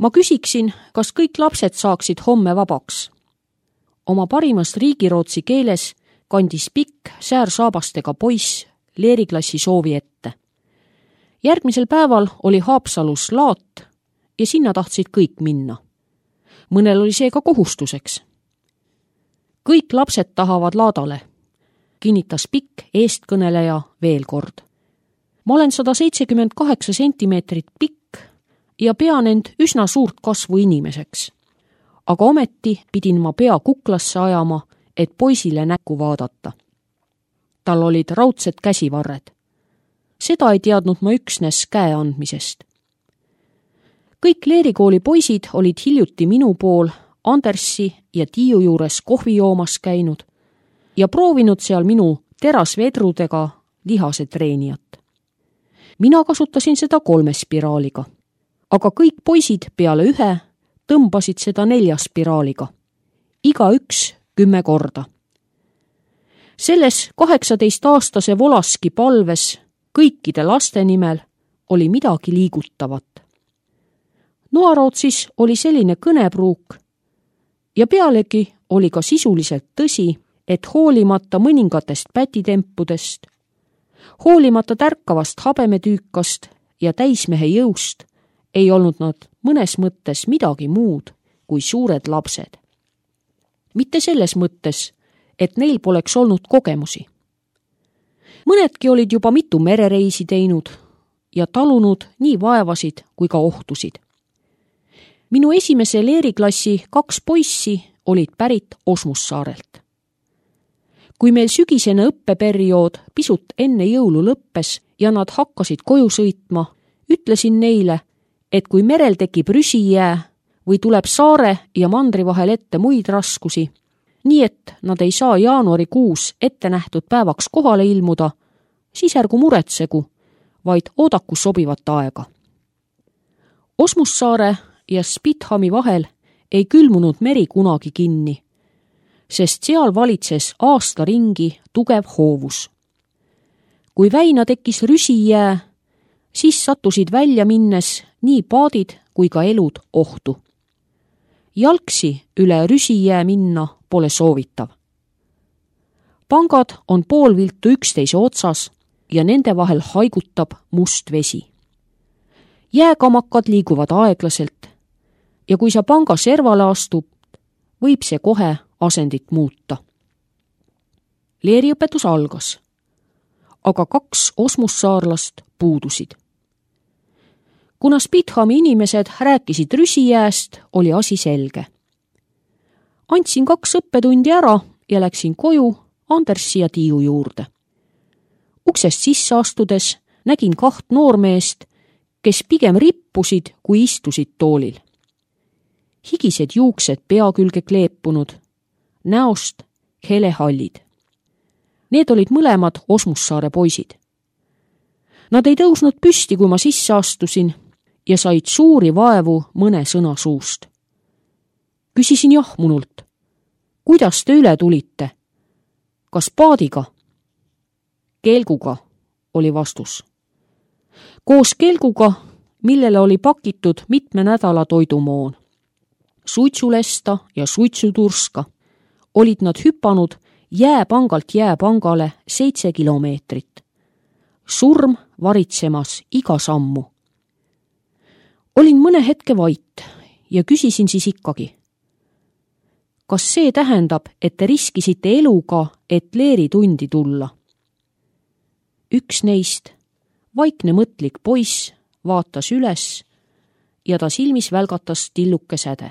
Ma küsiksin, kas kõik lapsed saaksid homme vabaks. Oma parimas riigirootsi keeles kandis pikk säärsaabastega poiss leeriklassi soovi ette. Järgmisel päeval oli Haapsalus laat ja sinna tahtsid kõik minna. Mõnel oli see ka kohustuseks. Kõik lapsed tahavad laadale, kinnitas pikk eestkõneleja veel kord. Ma olen 178 sentimeetrit pikk ja pean end üsna suurt kasvu inimeseks. Aga ometi pidin ma pea kuklasse ajama, et poisile näkku vaadata. Tal olid raudsed käsivarred. Seda ei teadnud ma üksnes käe andmisest. Kõik leerikooli poisid olid hiljuti minu pool Andersi ja Tiiu juures kohvi joomas käinud ja proovinud seal minu terasvedrudega lihasetreenijat. Mina kasutasin seda 3 spiraaliga, aga kõik poisid peale 1 tõmbasid seda 4 spiraaliga. Igaüks 10 korda. Selles 18-aastase Volaski palves kõikide laste nimel oli midagi liigutavat. Noarootsis oli selline kõnepruuk ja pealegi oli ka sisuliselt tõsi, et hoolimata mõningatest pätitempudest, hoolimata tärkavast habemetüükast ja täismehe jõust, ei olnud nad mõnes mõttes midagi muud kui suured lapsed. Mitte selles mõttes, et neil poleks olnud kogemusi. Mõnedki olid juba mitu merereisi teinud ja talunud nii vaevasid kui ka ohtusid. Minu esimese leeriklassi 2 poissi olid pärit Osmussaarelt. Kui meil sügisene õppeperiood pisut enne jõulu lõppes ja nad hakkasid koju sõitma, ütlesin neile, et kui merel tekib rüsijää või tuleb saare ja mandri vahel ette muid raskusi, nii et nad ei saa jaanuarikuus ette nähtud päevaks kohale ilmuda, siis ärgu muretsegu, vaid oodaku sobivat aega. Osmussaare ja Spithami vahel ei külmunud meri kunagi kinni, sest seal valitses aasta ringi tugev hoovus. Kui väina tekkis rüsijää, siis sattusid välja minnes nii paadid kui ka elud ohtu. Jalgsi üle rüsijää minna pole soovitav. Pangad on poolviltu üksteise otsas ja nende vahel haigutab must vesi. Jääkamakad liiguvad aeglaselt ja kui sa panga servale astub, võib see kohe asendit muuta. Leeriõpetus algas, aga 2 osmussaarlast puudusid. Kuna Spithami inimesed rääkisid rüsijääst, oli asi selge. Andsin 2 õppetundi ära ja läksin koju Andersi ja Tiiu juurde. Uksest sisse astudes nägin 2 noormeest, kes pigem rippusid kui istusid toolil. Higised juuksed pea külge kleepunud, näost helehallid. Need olid mõlemad Osmussaare poisid. Nad ei tõusnud püsti, kui ma sisse astusin ja said suuri vaevu mõne sõna suust. Küsisin jahmunult, kuidas te üle tulite? Kas paadiga? Kelguga, oli vastus. Koos kelguga, millele oli pakitud mitme nädala toidumoon. Suitsulesta ja suitsuturska olid nad hüpanud jääpangalt jääpangale 7 kilomeetrit. Surm varitsemas iga sammu. Olin mõne hetke vait ja küsisin siis ikkagi. Kas see tähendab, et te riskisite eluga, et leeritundi tulla? Üks neist, vaikne mõtlik poiss, vaatas üles ja ta silmis välgatas tilluke säde.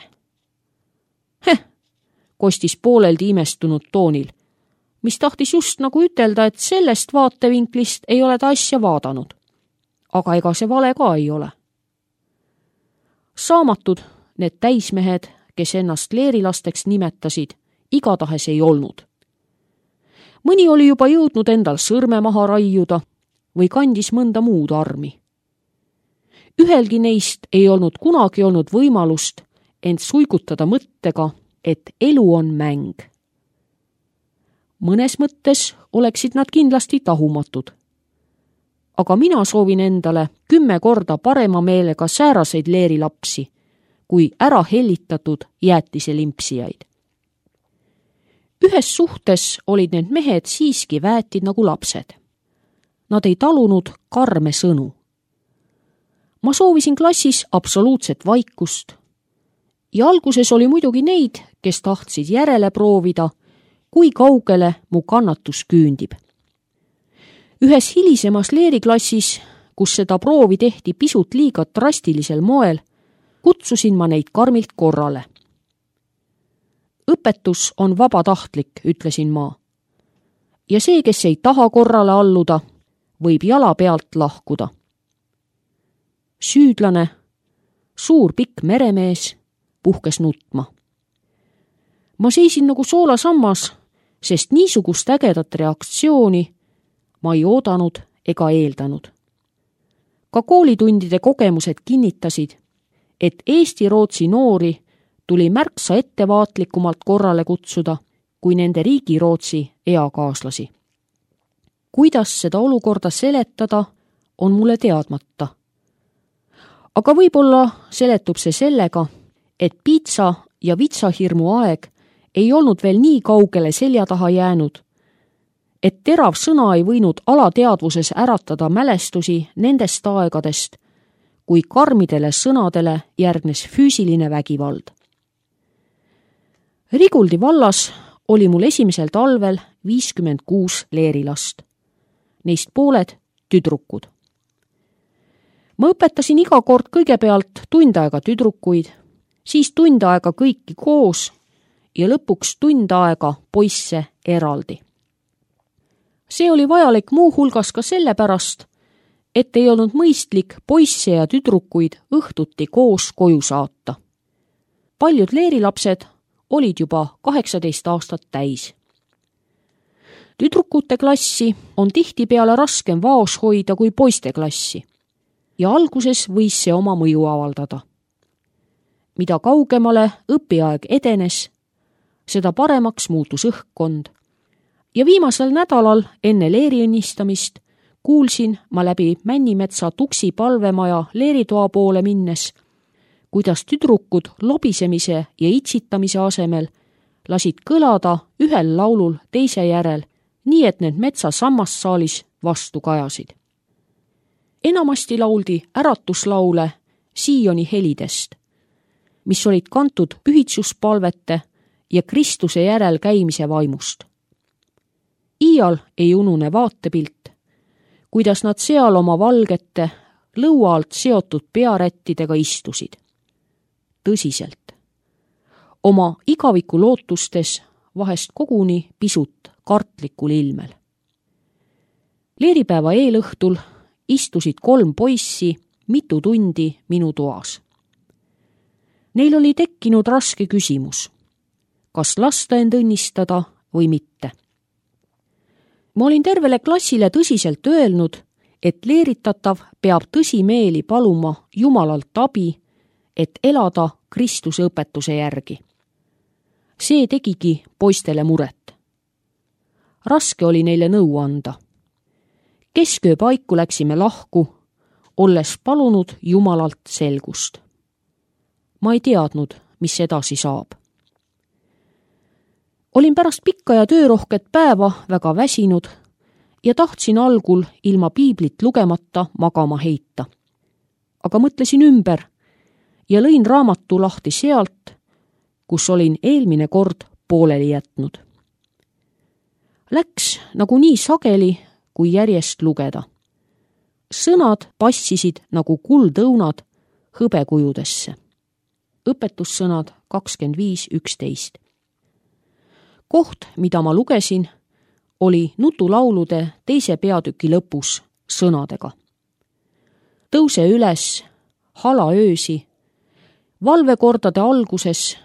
Kostis pooleldi imestunud toonil, mis tahtis just nagu ütelda, et sellest vaatevinklist ei ole ta asja vaadanud. Aga ega see vale ka ei ole. Saamatud need täismehed, kes ennast leerilasteks nimetasid, igatahes ei olnud. Mõni oli juba jõudnud endal sõrme maha raiuda või kandis mõnda muud armi. Ühelgi neist ei olnud kunagi olnud võimalust end suigutada mõttega, et elu on mäng. Mõnes mõttes oleksid nad kindlasti tahumatud. Aga mina soovin endale 10 korda parema meelega sääraseid leerilapsi, kui ära hellitatud jäätiselimpsijaid. Ühes suhtes olid need mehed siiski väetid nagu lapsed. Nad ei talunud karme sõnu. Ma soovisin klassis absoluutset vaikust ja alguses oli muidugi neid, kes tahtsid järele proovida, kui kaugele mu kannatus küündib. Ühes hilisemas leeriklassis, kus seda proovi tehti pisut liiga drastilisel moel, kutsusin ma neid karmilt korrale. Õpetus on vabatahtlik, ütlesin ma. Ja see, kes ei taha korrale alluda, võib jala pealt lahkuda. Süüdlane, suur pikk meremees, puhkes nutma. Ma seisin nagu soolasammas, sest niisugust ägedat reaktsiooni ma ei oodanud ega eeldanud. Ka koolitundide kogemused kinnitasid, et Eesti-Rootsi noori tuli märksa ettevaatlikumalt korrale kutsuda kui nende riigi-Rootsi eakaaslasi. Kuidas seda olukorda seletada, on mulle teadmata. Aga võib-olla seletub see sellega, et piitsa ja vitsahirmu aeg ei olnud veel nii kaugele selja taha jäänud, et terav sõna ei võinud alateadvuses äratada mälestusi nendest aegadest, kui karmidele sõnadele järgnes füüsiline vägivald. Riguldi vallas oli mul esimesel talvel 56 leerilast. Neist pooled tüdrukud. Ma õpetasin iga kord kõigepealt tund aega tüdrukuid, siis tund aega kõiki koos ja lõpuks tund aega poisse eraldi. See oli vajalik muu hulgas ka sellepärast, et ei olnud mõistlik poisse ja tüdrukuid õhtuti koos koju saata. Paljud leerilapsed olid juba 18 aastat täis. Tüdrukute klassi on tihtipeale raskem vaos hoida kui poiste klassi ja alguses võis see oma mõju avaldada. Mida kaugemale õpiaeg edenes, seda paremaks muutus õhkkond ja viimasel nädalal enne leeri õnnistamist kuulsin ma läbi Männimetsa Tuksi palvemaja leeritoa poole minnes, kuidas tüdrukud lobisemise ja itsitamise asemel lasid kõlada ühel laulul teise järel, nii et need metsa sammassaalis vastu kajasid. Enamasti lauldi äratuslaule Sioni helidest, mis olid kantud pühitsuspalvete ja Kristuse järel käimise vaimust. Iial ei unune vaatepilt, kuidas nad seal oma valgete, lõua alt seotud pearättidega istusid. Tõsiselt. Oma igaviku lootustes vahest koguni pisut kartlikul ilmel. Leeripäeva eelõhtul istusid 3 poissi mitu tundi minu toas. Neil oli tekkinud raske küsimus, kas lasta end õnnistada või mitte. Ma olin tervele klassile tõsiselt öelnud, et leeritatav peab tõsimeeli paluma Jumalalt abi, et elada Kristuse õpetuse järgi. See tegigi poistele muret. Raske oli neile nõu anda. Kesköö paiku läksime lahku, olles palunud Jumalalt selgust. Ma ei teadnud, mis edasi saab. Olin pärast pikka ja töörohket päeva väga väsinud ja tahtsin algul ilma piiblit lugemata magama heita. Aga mõtlesin ümber ja lõin raamatu lahti sealt, kus olin eelmine kord pooleli jätnud. Läks nagu nii sageli, kui järjest lugeda. Sõnad passisid nagu kuldõunad hõbekujudesse. Õpetussõnad 25:11. Koht, mida ma lugesin, oli nutulaulude 2. peatüki lõpus sõnadega. Tõuse üles, hala öösi, valvekordade alguses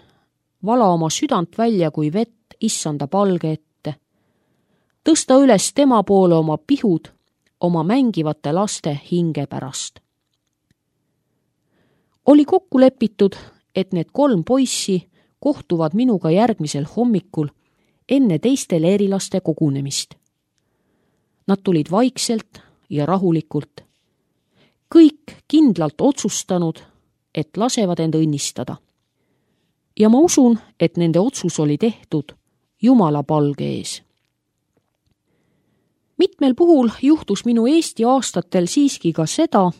vala oma südant välja kui vett issanda palge ette. Tõsta üles tema poole oma pihud, oma mängivate laste hinge pärast. Oli kokku lepitud, et need 3 poissi kohtuvad minuga järgmisel hommikul enne teiste leerilaste kogunemist. Nad tulid vaikselt ja rahulikult, kõik kindlalt otsustanud, et lasevad end õnnistada. Ja ma usun, et nende otsus oli tehtud Jumala palge ees. Mitmel puhul juhtus minu Eesti aastatel siiski ka seda,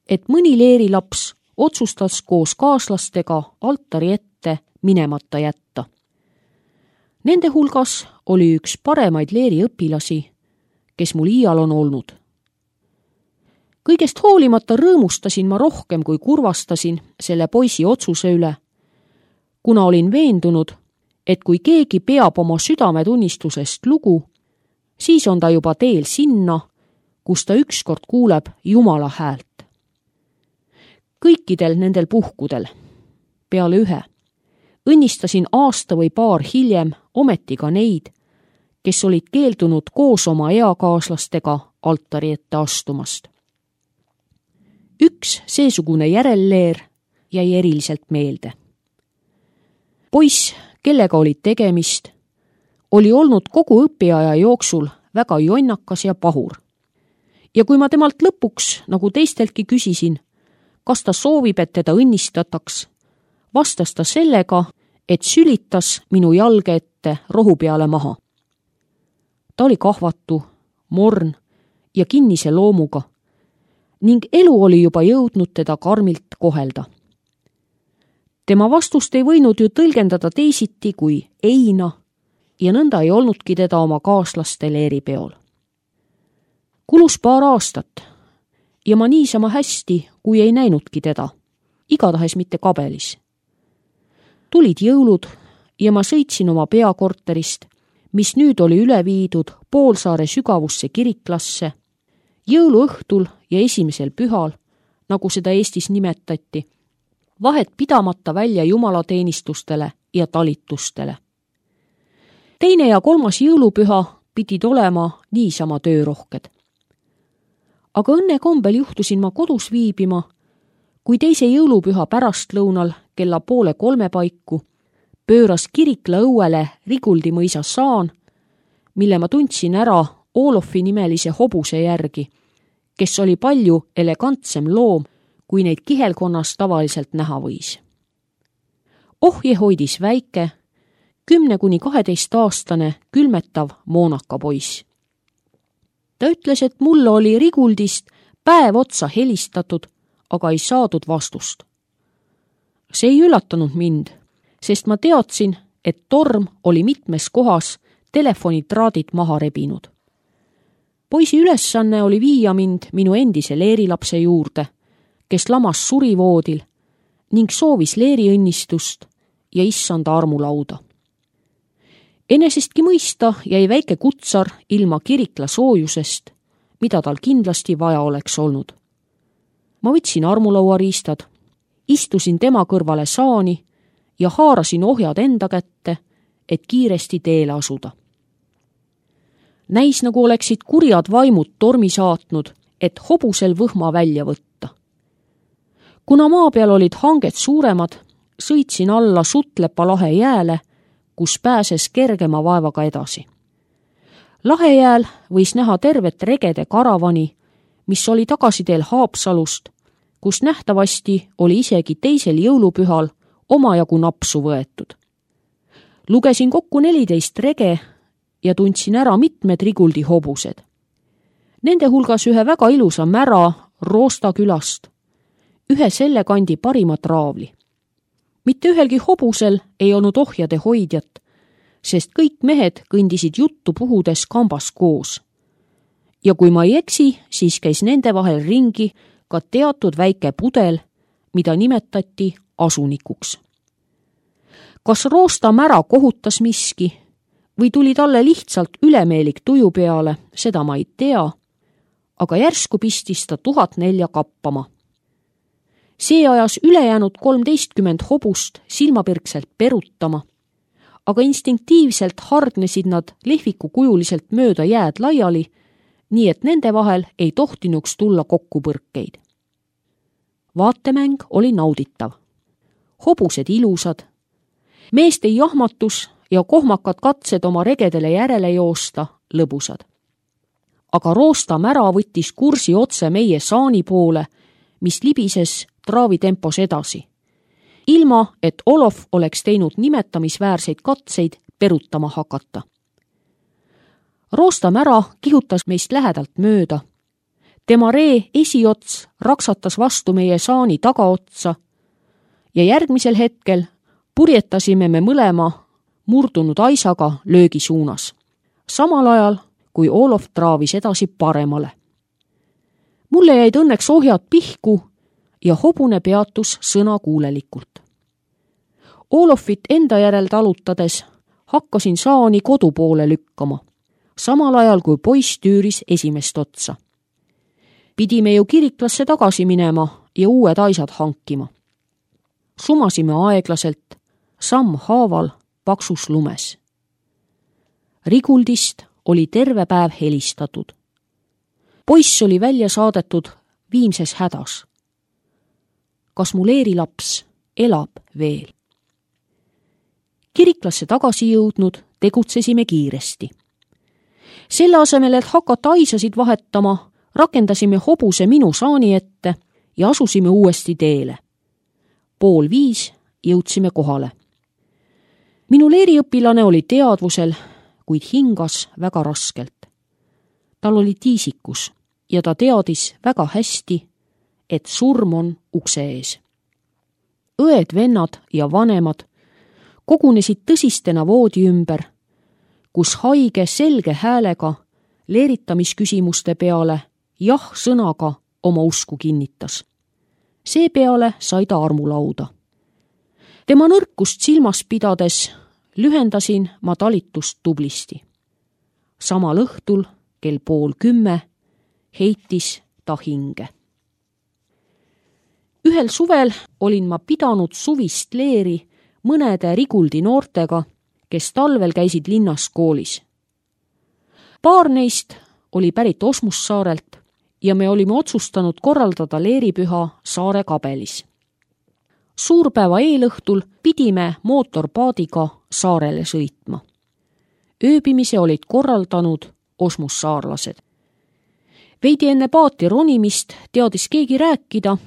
et mõni leerilaps otsustas koos kaaslastega altari ette minemata jätta. Nende hulgas oli üks paremaid leeriõpilasi, kes mul iial on olnud. Kõigest hoolimata rõõmustasin ma rohkem kui kurvastasin selle poisi otsuse üle, kuna olin veendunud, et kui keegi peab oma südametunnistusest lugu, siis on ta juba teel sinna, kus ta ükskord kuuleb Jumala häält. Kõikidel nendel puhkudel, peale ühe, õnnistasin aasta või paar hiljem ometi ka neid, kes olid keeldunud koos oma eakaaslastega altari ette astumast. Üks seesugune järelleer jäi eriliselt meelde. Poiss, kellega olid tegemist, oli olnud kogu õpiaja jooksul väga jonnakas ja pahur. Ja kui ma temalt lõpuks, nagu teisteltki küsisin, kas ta soovib, et teda õnnistataks, vastas ta sellega, et sülitas minu jalge ette rohu peale maha. Ta oli kahvatu, morn ja kinnise loomuga ning elu oli juba jõudnud teda karmilt kohelda. Tema vastust ei võinud ju tõlgendada teisiti kui eina ja nõnda ei olnudki teda oma kaaslaste leeripeol. Kulus paar aastat ja ma niisama hästi, kui ei näinudki teda, igatahes mitte kabelis. Tulid jõulud ja ma sõitsin oma peakorterist, mis nüüd oli üle viidud Poolsaare sügavusse kiriklasse, jõuluõhtul ja esimesel pühal, nagu seda Eestis nimetati, vahet pidamata välja jumalateenistustele ja talitustele. Teine ja kolmas jõulupüha pidid olema niisama töörohked. Aga õnnekombel juhtusin ma kodus viibima, kui teise jõulupüha pärastlõunal kella 2:30 paiku pööras Kirikla õuele Riguldi mõisa saan, mille ma tundsin ära Olofi nimelise hobuse järgi, kes oli palju elegantsem loom, kui neid kihelkonnas tavaliselt näha võis. Ohje hoidis väike, 10–12-aastane külmetav moonakapoiss. Ta ütles, et mulle oli Riguldist päev otsa helistatud, aga ei saadud vastust. See ei üllatanud mind, sest ma teadsin, et torm oli mitmes kohas telefonitraadid maha rebinud. Poisi ülesanne oli viia mind minu endise leerilapse juurde, kes lamas surivoodil ning soovis leeriõnnistust ja issanda armulauda. Enesestki mõista jäi väike kutsar ilma Kirikla soojusest, mida tal kindlasti vaja oleks olnud. Ma võtsin armulauariistad, istusin tema kõrvale saani ja haarasin ohjad enda kätte, et kiiresti teele asuda. Näis, nagu oleksid kurjad vaimud tormi saatnud, et hobusel võhma välja võtta. Kuna maa peal olid hanged suuremad, sõitsin alla Sutlepa lahe jääle, kus pääses kergema vaevaga edasi. Lahejääl võis näha tervet regede karavani, mis oli tagasiteel Haapsalust, kus nähtavasti oli isegi teisel jõulupühal omajagu napsu võetud. Lugesin kokku 14 rege ja tundsin ära mitmed Riguldi hobused. Nende hulgas ühe väga ilusa mära Roosta külast, ühe selle kandi parimat raavli. Mitte ühelgi hobusel ei olnud ohjade hoidjat, sest kõik mehed kõndisid juttu puhudes kambas koos. Ja kui ma ei eksi, siis käis nende vahel ringi ka teatud väike pudel, mida nimetati asunikuks. Kas Roosta mära kohutas miski või tuli talle lihtsalt ülemeelik tuju peale, seda ma ei tea, aga järsku pistis ta 1004 kappama. See ajas ülejäänud 13 hobust silmapirkselt perutama, aga instinktiivselt hardnesid nad lehvikukujuliselt mööda jääd laiali, nii et nende vahel ei tohtinuks tulla kokkupõrkeid. Vaatemäng oli nauditav. Hobused ilusad, meeste jahmatus ja kohmakad katsed oma regedele järele joosta lõbusad. Aga Roosta mära võttis kursi otse meie saani poole, mis libises traavitempos edasi, ilma et Olof oleks teinud nimetamisväärseid katseid perutama hakata. Roostamära kihutas meist lähedalt mööda. Tema ree esiots raksatas vastu meie saani tagaotsa ja järgmisel hetkel purjetasime me mõlema murdunud aisaga löögi suunas, samal ajal kui Olof traavis edasi paremale. Mulle jäid õnneks ohjad pihku ja hobune peatus sõnakuulelikult. Olofit enda järel talutades hakkasin saani kodu poole lükkama, samal ajal kui poiss tüüris esimest otsa. Pidime ju kiriklasse tagasi minema ja uued aisad hankima. Sumasime aeglaselt, samm haaval paksus lumes. Riguldist oli terve päev helistatud. Poiss oli välja saadetud viimses hädas. Kas mu leerilaps elab veel? Kiriklasse tagasi jõudnud tegutsesime kiiresti. Selle asemel, et hakata aisasid vahetama, rakendasime hobuse minu saani ette ja asusime uuesti teele. 4:30 jõudsime kohale. Minu leeriõpilane oli teadvusel, kuid hingas väga raskelt. Tal oli tiisikus ja ta teadis väga hästi, et surm on ukse ees. Õed, vennad ja vanemad kogunesid tõsistena voodi ümber, kus haige selge häälega leeritamisküsimuste peale jah-sõnaga oma usku kinnitas. Seepeale sai ta armulauda. Tema nõrkust silmas pidades lühendasin ma talitust tublisti. Samal õhtul kell 9:30 heitis ta hinge. Ühel suvel olin ma pidanud suvist leeri mõnede Riguldi noortega, kes talvel käisid linnas koolis. Paar neist oli pärit Osmussaarelt ja me olime otsustanud korraldada leeripüha saare kabelis. Suurpäeva eelõhtul pidime mootorpaadiga saarele sõitma. Ööbimise olid korraldanud osmussaarlased. Veidi enne paati ronimist teadis keegi rääkida,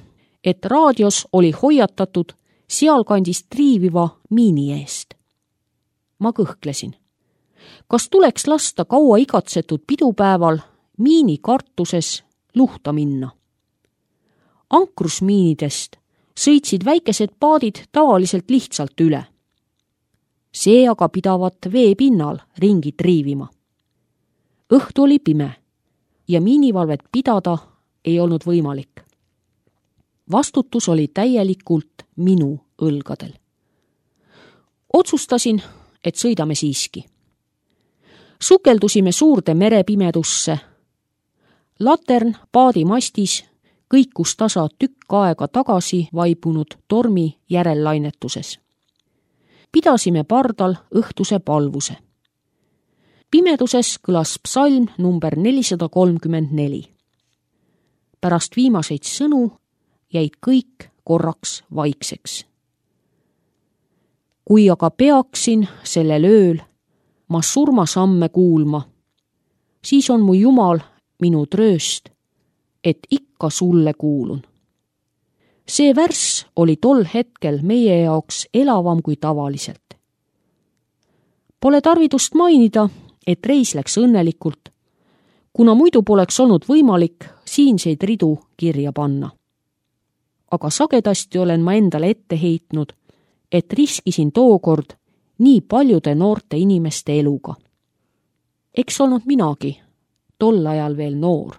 et raadios oli hoiatatud sealkandis triiviva miini eest. Ma kõhklesin. Kas tuleks lasta kaua igatsetud pidupäeval miini kartuses luhta minna? Ankrusmiinidest sõitsid väikesed paadid tavaliselt lihtsalt üle. See aga pidavat vee pinnal ringi triivima. Õhtu oli pime ja miinivalvet pidada ei olnud võimalik. Vastutus oli täielikult minu õlgadel. Otsustasin, et sõidame siiski. Sukeldusime suurde merepimedusse. Latern paadi mastis kõikus tasa tükk aega tagasi vaibunud tormi järellainetuses. Pidasime pardal õhtuse palvuse. Pimeduses kõlas psalm number 434. Pärast viimaseid sõnu jäid kõik korraks vaikseks. Kui aga peaksin sellel ööl ma surmasamme kuulma, siis on mu Jumal minu trööst, et ikka sulle kuulun. See värss oli tol hetkel meie jaoks elavam kui tavaliselt. Pole tarvidust mainida, et reis läks õnnelikult, kuna muidu poleks olnud võimalik siinseid ridu kirja panna. Aga sagedasti olen ma endale ette heitnud, et riskisin tookord nii paljude noorte inimeste eluga. Eks olnud minagi, tol ajal veel noor.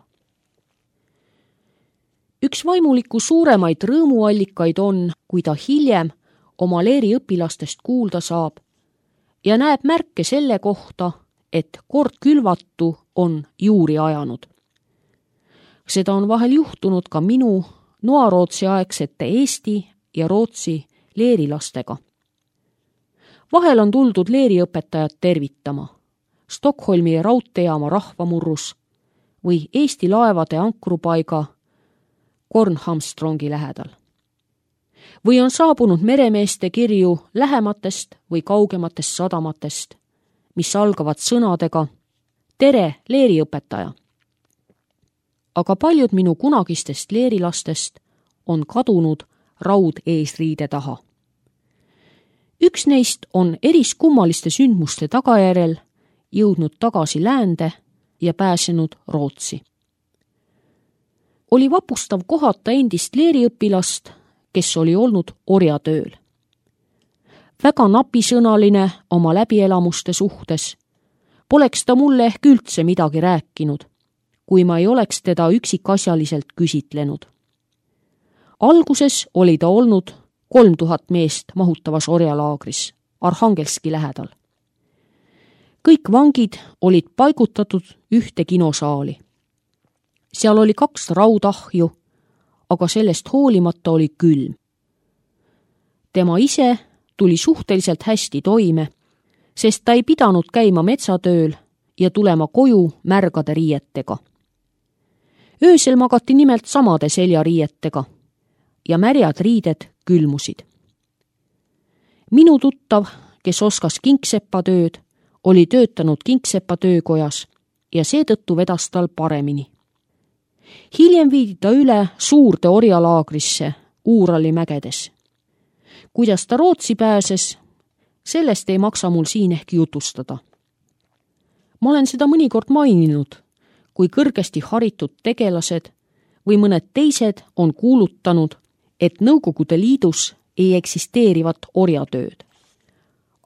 Üks vaimuliku suuremaid rõõmuallikaid on, kui ta hiljem oma leeriõpilastest kuulda saab ja näeb märke selle kohta, et kord külvatu on juuri ajanud. Seda on vahel juhtunud ka minu Noarootsi aegsete Eesti ja Rootsi leerilastega. Vahel on tuldud leeriõpetajat tervitama Stockholmi raudteejaama rahvamurrus või Eesti laevade ankrupaiga Kornhamstrongi lähedal. Või on saabunud meremeeste kirju lähematest või kaugematest sadamatest, mis algavad sõnadega "Tere, leeriõpetaja!". Aga paljud minu kunagistest leerilastest on kadunud raud eesriide taha. Üks neist on eriskummaliste sündmuste tagajärjel jõudnud tagasi läände ja pääsenud Rootsi. Oli vapustav kohata endist leeriõpilast, kes oli olnud orjatööl. Väga napisõnaline oma läbielamuste suhtes, poleks ta mulle ehk üldse midagi rääkinud, kui ma ei oleks teda üksikasjaliselt küsitlenud. Alguses oli ta olnud 3000 meest mahutavas orjalaagris Arhangelski lähedal. Kõik vangid olid paigutatud ühte kinosaali. Seal oli 2 raudahju, aga sellest hoolimata oli külm. Tema ise tuli suhteliselt hästi toime, sest ta ei pidanud käima metsatööl ja tulema koju märgade riietega. Öösel magati nimelt samade seljariietega ja märjad riided külmusid. Minu tuttav, kes oskas kingsepatööd, oli töötanud kingsepa töökojas ja seetõttu vedas tal paremini. Hiljem viidi ta üle suurde orjalaagrisse Uurali mägedes. Kuidas ta Rootsi pääses, sellest ei maksa mul siin ehk jutustada. Ma olen seda mõnikord maininud, kui kõrgesti haritud tegelased või mõned teised on kuulutanud, et Nõukogude Liidus ei eksisteerivat orjatööd.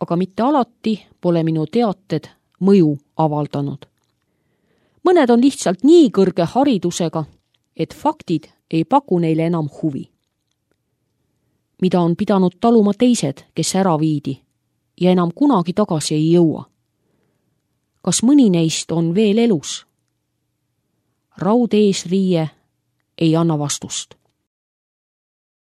Aga mitte alati pole minu teated mõju avaldanud. Mõned on lihtsalt nii kõrge haridusega, et faktid ei paku neile enam huvi. Mida on pidanud taluma teised, kes ära viidi ja enam kunagi tagasi ei jõua. Kas mõni neist on veel elus? Raud eesriie ei anna vastust.